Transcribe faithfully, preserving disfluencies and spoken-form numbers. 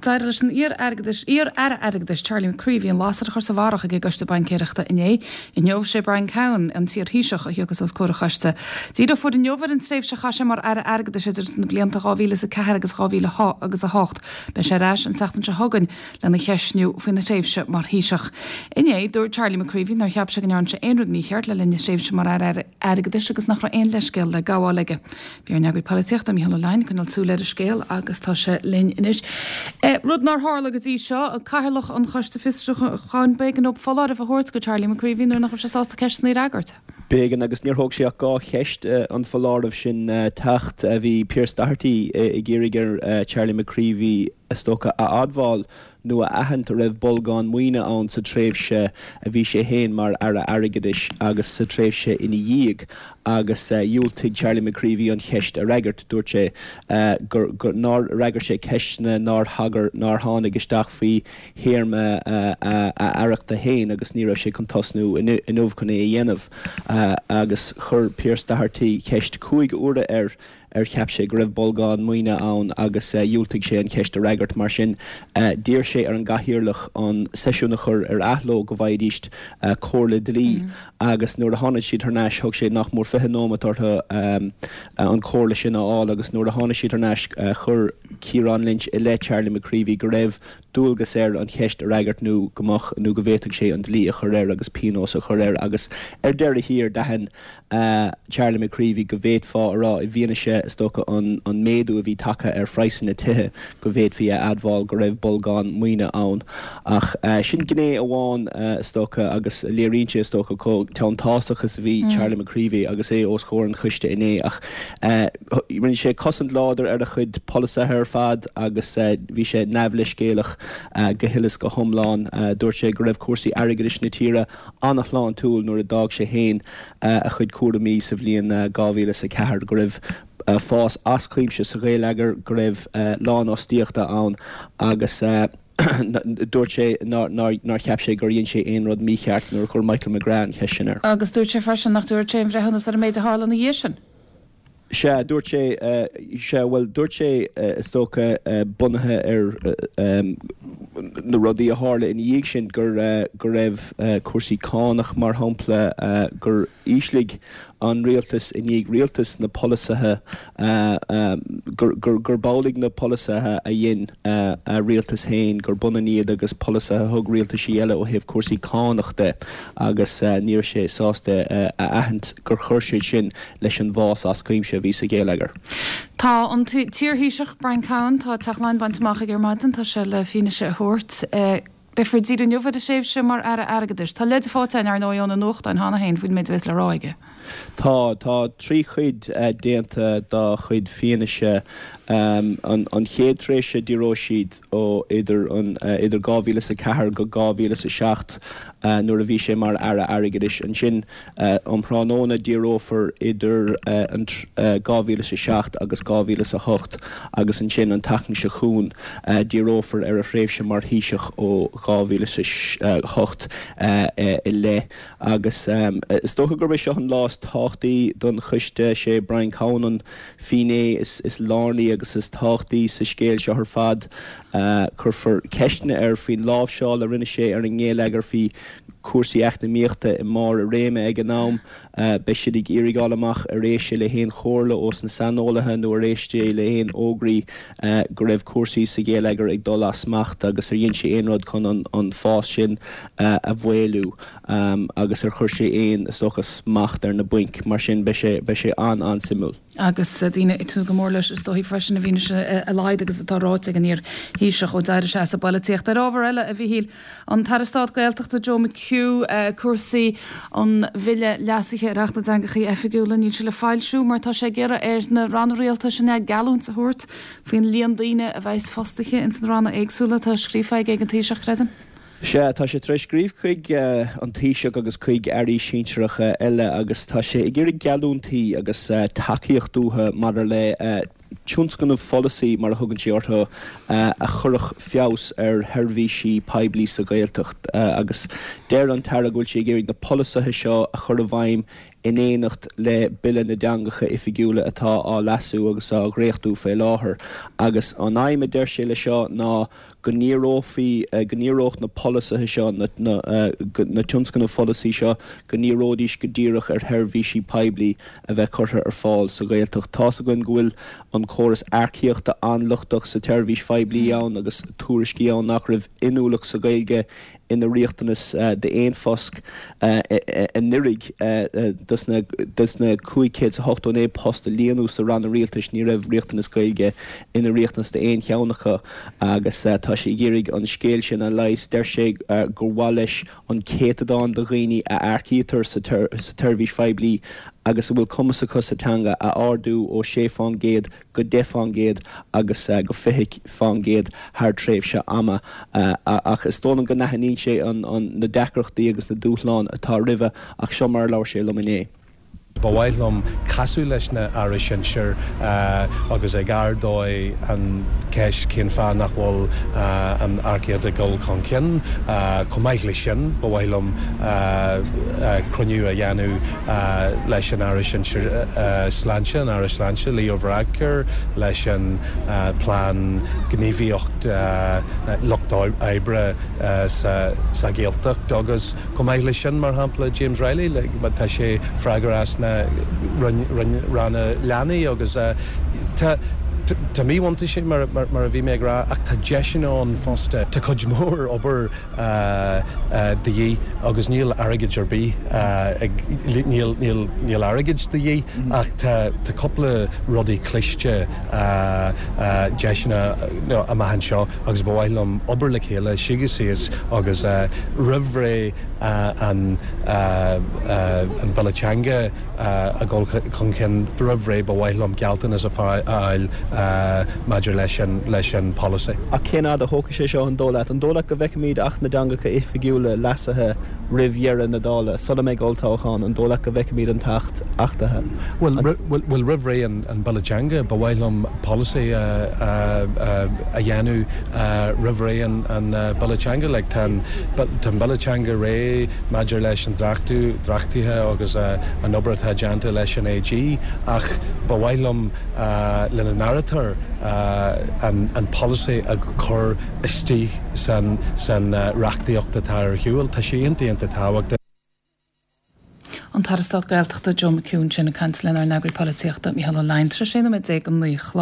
D'éirigh leis an iar-airgeadais iar-aire airgeadais Charlie McCreevy an lasair a chur sa bharrach ag an gCoiste Baincéireachta inné. Inniu sé Brian Cowen an t-iar-Thaoiseach a thiocfas os comhair an choiste. Díreofar inniu ar an tréimhse a chaith sé mar aire airgeadais idir na blianta dhá mhíle is a ceathair agus dhá mhíle agus a hocht. Beidh sé ar ais an tseachtain seo chugainn lena cheistniú faoina thréimhse mar Thaoiseach. Inné dúirt Charlie McCreevy nár cheap sé go ndearna sé aon rud mícheart le linn a thréimhse mar aire airgeadais agus nach raibh aon leithscéal le gabháil aige. Bhí ár n-eagraí polaitíochta Mícheál Ó Leidhin ag coinneáil súil ar an scéal agus tá sé linn anois. Rud nár tharla go dtí seo, cathaoirleach an Choiste Fiosrúcháin b'éigean dó foláireamh a thabhairt go Charlie McCreevy nuair nach raibh sé sásta ceisteanna a fhreagairt. B'éigean agus níor thóg sé ach dhá cheist an foláireamh sin teacht. Bhí Pearse Doherty ag iarraidh ar Charlie McCreevy is dócha a admháil nó a aithint raibh bolgán maoine ann sa tréimhse a bhí sé féin mar aire airgeadais agus sa tréimhse ina dhiaidh agus dhiúltaigh Charlie McCreevy an cheist a fhreagairt. Dúirt sé gur gur nár fhreagair sé ceisteanna nár thagair nár tháinig isteach faoi théarma a aireachta féin agus ní raibh sé chun tosnú inniu chun é a dhéanamh agus chuir Pearse Doherty ceist cúig huaire air ar cheap sé go raibh bolgán maoine ann agus dhiúltaigh sé an cheist a fhreagairt mar sin d'iarr sé ar an gcathaoirleach an seisiún a chur ar athló go bhfaighidís comhairle dlí agus nuair a tháinig siad thar n-ais thóg sé nach mór fiche nóiméad orthu an chomhairle sin a fháil agus nuair a tháinig siad thar n-ais chuir Ciarán Lynch i leith Charlie McCreevy go raibh dualgas air an cheist a fhreagairt nó go mbeadh nó go bhféadfadh sé an dlí a chur air agus pionós a chur air agus ar deireadh thiar d'aithin Charlie McCreevy go bhféadfá a rá i bhfianaise is dócha an an méadú a bhí tagtha ar phraghsanna tithe go bhféadfaí a admháil go raibh bolgán maoine ann ach sin gné amháin is dócha agus léiríonn sé is dócha chomh teanntásach is a bhí Charlie McCreevy agus é os comhair an choiste inné ach rinne sé cosaint láidir ar a chuid polasaithe ar fad agus bhí sé neamhleithscéalach go huile is go hiomlán dúirt sé go raibh cúrsaí airgeadais na tíre an-shláintiúil nuair a d'fhág sé féin a chuid cúraimí sa bhliain dhá mhíle is a ceathair go raibh fás as cuimse sa gheilleagar go raibh lánfhostaíochta ann agus dúirt sé nár cheap sé gur dhein sé aon rud mícheart nuair a chuir Michael McGrath an cheist sin air. Agus dúirt sé freisin nach dtabharfadh sé aon bhreithiúnas ar an méid a tharla ina dhiaidh sin. Sea, dúirt sé, sea, bhuel, dúirt sé is dócha bunaithe ar na rudaí a tharla ina dhiaidh sin gur go raibh cúrsaí cánach mar shampla gur ísligh an rialtas i ndiaidh rialtas na polasaithe gur gur b'amhlaidh na polasaithe a dhein a rialtas féin gur b'ionann iad agus polasaithe a thug rialtaisí eile ó thaobh cúrsaí cánach de agus ní raibh sé sásta a aithint gur chuir siad sin leis an bhfás as cuimse a bhí sa gheilleagar. Tá an t-iar-Thaoiseach Brian Cowen, tá Teach Laighean bainte amach aige ar maidin, tá sé le fianaise a thabhairt. Beifear ag díriú inniu ar a thréimhse mar Aire Airgeadais. Tá leide faighte againn, ar ndóigh, ó na nuachtáin cheana féin faoin méid a bheas le rá aige. Tá, tá trí chuid déanta dá chuid fianaise. An chéad tréimhse díreoidh siad ó idir an idir dhá mhíle is a ceathair go dhá mhíle is a seacht nuair a bhí sé mar Aire Airgeadais. Ansin um thráthnóna díreofar idir an dhá mhíle is a seacht agus dhá mhíle is a hocht agus ansin an tseachtain seo chugainn díreofar ar a thréimhse mar Thaoiseach ó dhá mhíle is a hocht i leith. Agus is dócha gurb é seo an lá is tábhachtaí don choiste. Sé Brian Cowen an finné is is lárnaí agus is tábhachtaí sa scéal seo ar fad. Cuirfear ceisteanna air faoin láimhseáil a rinne sé ar an ngeilleagar, faoi chúrsaí eacnamaíochta i mbarr a réime ag an am. Beidh siad ag iarraidh fháil amach ar éist sé le haon chomhairle ós na saineolaithe nó ar éist sé le haon fhógraí go raibh cúrsaí sa gheilleagar ag dul as smacht agus ar dhein sé aon rud chun an fás sin a mhaolú agus ar chuir sé aon, is dócha, smacht ar na bainc. Mar sin, beidh sé, beidh sé an-an-suimiúil. Agus daoine ag tnúth go mór leis, is dóichí freisin, i bhfianaise a laghad agus atá ráite ag an iar-Thaoiseach ó d'éirigh sé as an bpolaitíocht. Ar ábhar eile, a Mhíchíl, an tAire Stáit Gaeltachta Joe McHugh, cúrsaí an Bhille leasaithe ar Acht na dTeangacha Oifigiúla, níl sé le foilsiú mar tá sé ag iarraidh ar na ranna rialtais an ea geallúint a thabhairt faoin líon daoine a bheas fostaithe ins na ranna éagsúla. Tá scríofa aige ag an Taoiseach, creidim. Sea, tá sé tar éis scríobh chuig an Taoiseach agus chuig airí sinsearacha eile agus tá sé ag iarraidh geallúintí agus tacaíocht uathu maidir le tionscnaimh pholasaí, mar a thugann sé orthu, a chuirfeadh feabhas ar sheirbhísí poiblí sa Ghaeltacht. Agus deir an tAire go bhfuil sé ag iarraidh na polasaithe seo a chur i bhfeidhm in éineacht le Bille na dTeangacha Oifigiúla atá á leasú agus á dhréachtú fé láthair. Agus an aidhm a deir sé le seo ná go ndíreofaí go ndíreodh na polasaithe seo na na na tionscnaimh pholasaí seo go ndíreoidís go díreach ar sheirbhísí poiblí a bheith curtha ar fáil sa Ghaeltacht. Tá's againn go bhfuil an córas earcaíochta an-lochtach sa tseirbhís phoiblí ann agus tuairiscí ann nach raibh inniúlacht sa Ghaeilge ina riachtanas d'aon phost anuraidh dos na dos na cúig chéad is a hochtó naoi post a líonadh sa ranna rialtais ní raibh riachtanas Gaeilge ina riachtanas d'aon cheann acu agus tá sé ag iarraidh an scéal sin a leigheas. Deir sé gur mhaith leis an céatadán de dhaoine a earcaítear sa tseirbhís phoiblí agus a bhfuil cumas acu sa teanga a ardú ó sé fán gcéad go deich fán gcéad agus go fiche fán gcéad thar tréimhse ama. Ach is dóigh liom go n-aithníonn sé na deacrachtaí agus na dúshláin atá roimhe ach seo mar a labhair sé liom inné. Ba mhaith liom casadh leis na hairí sinsir agus ag ardú an cheist cén fáth nach bhfuil an earcaíocht ag dul chun cinn. Chomh maith leis sin, ba mhaith liom cruinniú a dhéanamh leis an Aire Sinsir Sláinte, an Aire Sláinte Leo Varadkar, leis an Plean Gníomhaíocht Lucht Oibre sa Ghaeltacht agus chomh maith leis sin, mar shampla, James Reilly, tá sé freagrach as na Ranna Leanaí agus tá tá míbhuntáistí mar a bhí mé ag rá ach tá deiseanna ann fosta. Tá cuid mhór obair de dhíth agus níl airgead ar bith ag níl níl níl airgead de dhíth ach tá tá cúpla rudaí cliste deiseanna amach anseo agus ba mhaith liom obair le chéile suí síos agus roimh ré an an Bille Teanga a dhul chun cinn roimh ré ba mhaith liom gealltanas a fháil maidir leis an leis an polasaí. Ach cén fhad a thógfaidh sé seo an dóigh leat? An dóigh leat go bhfeicfimid Acht na dTeangacha Oifigiúla leasaithe roimh dheireadh na dála, sula mbeidh olltoghchán, an dóigh leat go bhfeicfimid an tAcht achtaithe? Bhuel, bhuel roimh ré an an Bille Teanga ba mhaith liom polasaí a a dhéanamh roimh ré an an Bille Teanga. Like tá an tá an Bille Teanga réidh maidir leis an dreachtú dreachtaithe agus an obair atá déanta leis an AG ach ba mhaith liom lena n-áirítear an an polasaí a chur istigh san san reachtaíocht atá ar shiúl. Tá sé iontach iontach tábhachtach. An tAire Stáit Gaeltachta Joe McHugh sin ag caint lenár n-eagraí polaitíochta Mícheál Ó Leidhin tar éis sé nóiméad déag don naoi a chlog.